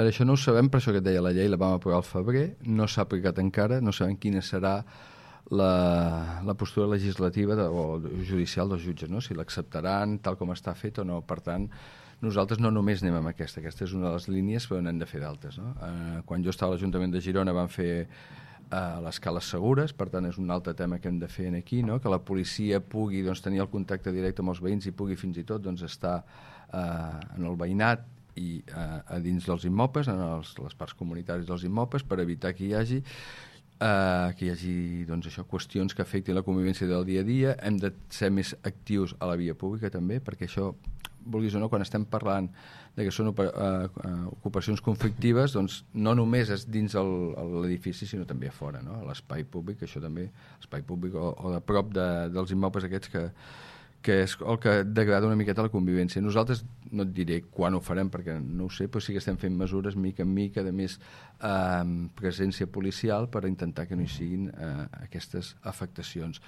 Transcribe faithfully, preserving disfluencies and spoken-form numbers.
Això no ho sabem, per això que et deia, la llei la vam aprovar al febrer, no s'ha aplicat encara, no sabem quina serà la, la postura legislativa de, o judicial dels jutges, no? Si l'acceptaran tal com està fet o no. Per tant, nosaltres no només anem amb aquesta, aquesta és una de les línies, però n'hem de fer d'altres, no? Eh, quan jo estava a l'Ajuntament de Girona vam fer eh, les cales segures, per tant és un altre tema que hem de fer aquí, no? Que la policia pugui doncs, tenir el contacte directe amb els veïns i pugui fins i tot doncs, estar eh, en el veïnat i eh, a dins dels immobles, en els, les parts comunitàries dels immobles, per evitar que hi hagi eh, que hi hagi doncs, això, qüestions que afectin la convivència del dia a dia. Hem de ser més actius a la via pública també, perquè això, vulguis o no, quan estem parlant de que són uh, uh, ocupacions conflictives, doncs no només és dins l'edifici, sinó també a fora, no? A l'espai públic, això també, l'espai públic o, o de prop de, dels immobles aquests que que és el que degrada una miqueta la convivència. Nosaltres, no et diré quan ho farem, perquè no ho sé, però sí que estem fent mesures mica en mica de més eh, presència policial per intentar que no hi siguin eh, aquestes afectacions.